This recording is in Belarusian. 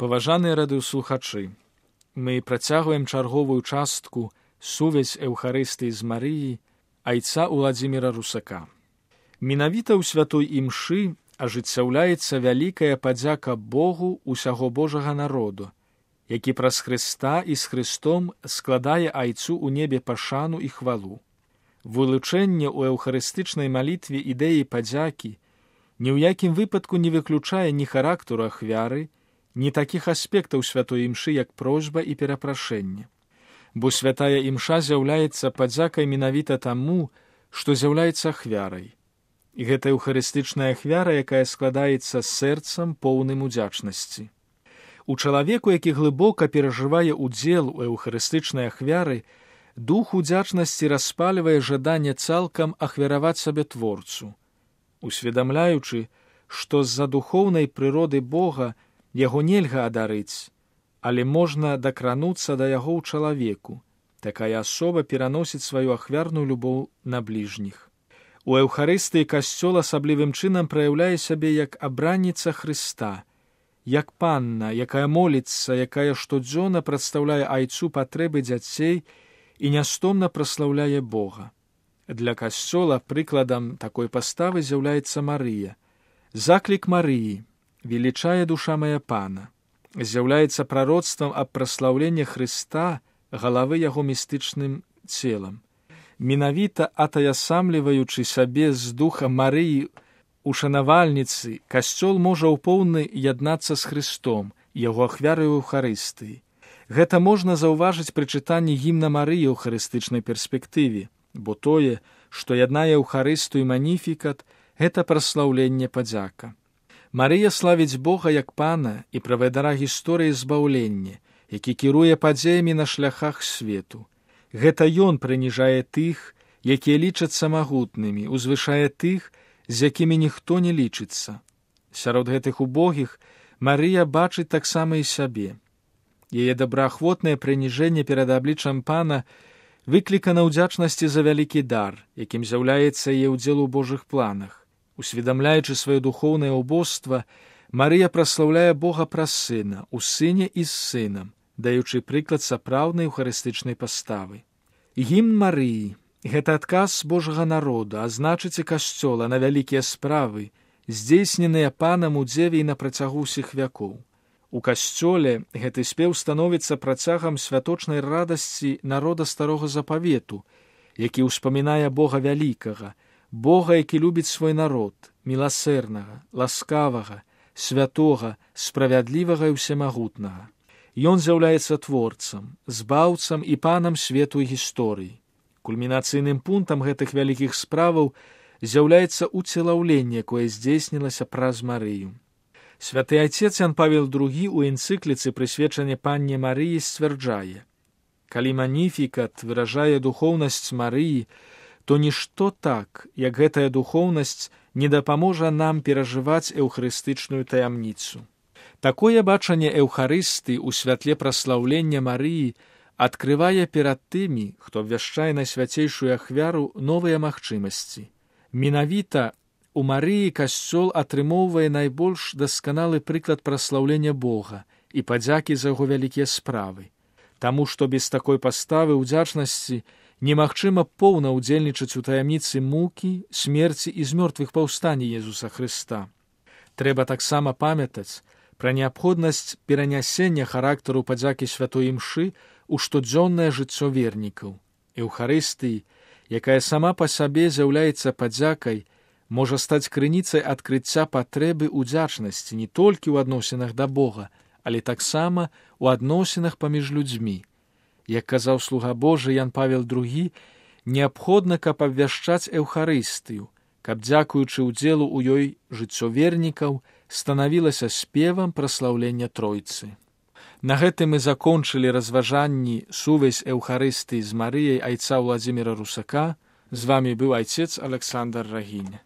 Паважаныя радыёслухачы, мы працягваем чарговую частку сувязь Эўхарыстыі з Марыяй айца Уладзіміра Русака. Менавіта ў святой імшы ажыццяўляецца вялікая падзяка Богу ўсяго Божага народу, які праз Хрыста і з Христом складае айцу ў небе пашану і хвалу. Вылучэнне ў эўхарыстычнай малітве ідэі падзякі ні ў якім выпадку не выключае ні характару ахвяры, ні такіх аспектаў святой імшы, як просьба і перапрашэнне. Бо святая імша з'яўляецца падзякай менавіта таму, што з'яўляецца ахвярай. І гэта эўхарыстычная ахвяра, якая складаецца сэрцам поўным удзячнасці. У чалавеку, які глыбока перажывае ўдзел у эўхарыстычнай ахвяры, дух удзячнасці распальвае жаданне цалкам ахвяраваць сабе творцу, усведамляючы, што з-за духоўнай прыроды Бога яго нельга адарыць, але можна дакрануцца да яго ў чалавеку. Такая асоба пераносіць сваю ахвярную любоў на бліжніх. У Эўхарыстыі касцёл асаблівым чынам праяўляе сябе як абранніца Хрыста, як панна, якая моліцца, якая штодзённа прадстаўляе айцу патрэбы дзяцей і нястомна праслаўляе Бога. Для касцёла прыкладам такой паставы з'яўляецца Марыя. Заклік Марыі «Велічае душа мая Пана» з'яўляецца прароцтвам аб праслаўленні Хрыста, галавы яго містычным целам. Менавіта атаясамліваючы сабе з духа Марыі у шанавальніцы, касцёл можа ў поўны яднацца з Хрыстом, яго ахвярай у Эўхарыстыі. Гэта можна заўважыць пры чытанні гімна Марыі ў эўхарыстычнай перспектыве, бо тое, што яднае Эўхарыстыю і маніфікат, гэта праслаўленне падзяка. Марыя славіць Бога як Пана і правадыра гісторыі збаўлення, які кіруе падзеямі на шляхах свету. Гэта ён прыніжае тых, якія лічацца магутнымі, узвышае тых, з якімі ніхто не лічыцца. Сярод гэтых убогіх Марыя бачыць таксама і сябе. Яе добраахвотнае прыніжэнне перад абліччам Пана выклікана ўдзячнасці за вялікі дар, якім з'яўляецца яе ўдзел у Божых планах. Усведамляючы сваё духоўнае ўбожства, Марыя праслаўляе Бога праз Сына, у Сыне і з Сынам, даючы прыклад сапраўднай эўхарыстычнай паставы. Гімн Марыі – гэта адказ Божага народа, а значыць і касцёла на вялікія справы, здзейсненыя Панам у дзеве і на працягу ўсіх вякоў. У касцёле гэты спеў становіцца працягам святочнай радасці народа старога запавету, які ўспамінае Бога вялікага, Бога, які любіць свой народ, міласэрнага, ласкавага, святога, справядлівага і ўсемагутнага. Ён з'яўляецца творцам, збаўцам і панам свету і гісторыі. Кульмінацыйным пунктам гэтых вялікіх справаў з'яўляецца уцелаўленне, якое здзейснілася праз Марыю. Святы айцец Ян Павел II у энцыкліцы прысвечанай панне Марыі сцвярджае: «Калі маніфікат выражае духоўнасць Марыі, то нішто так, як гэтая духоўнасць, не дапаможа нам перажываць эўхарыстычную таямніцу». Такое бачанне Эўхарысты ў святле праслаўлення Марыі адкрывае перад тымі, хто абвяшчае найсвяцейшую ахвяру, новыя магчымасці. Менавіта у Марыі касцёл атрымоўвае найбольш дасканалы прыклад праслаўлення Бога і падзякі за яго вялікія справы. Таму што без такой паставы ўдзячнасці немагчыма поўна ўдзельнічаць у таямніцы мукі, смерці і з мёртвых паўстання Езуса Хрыста. Трэба таксама памятаць пра неабходнасць перанясення характару падзякі святой імшы ў штодзённае жыццё вернікаў. Эўхарыстыі, якая сама па сабе з'яўляецца падзякай, можа стаць крыніцай адкрыцця патрэбы ўдзячнасці не толькі ў адносінах да Бога, але таксама ў адносінах паміж людзьмі. Як казаў слуга Божы Ян Павел II, неабходна, каб абвяшчаць Эўхарыстыю, каб, дзякуючы ўдзелу ў ёй жыццё вернікаў, станавілася спевам праслаўлення Тройцы. На гэтым мы закончылі разважанні сувязь Эўхарыстыі з Марыяй айца Уладзіміра Русака. З вамі быў айцец Александр Рагінь.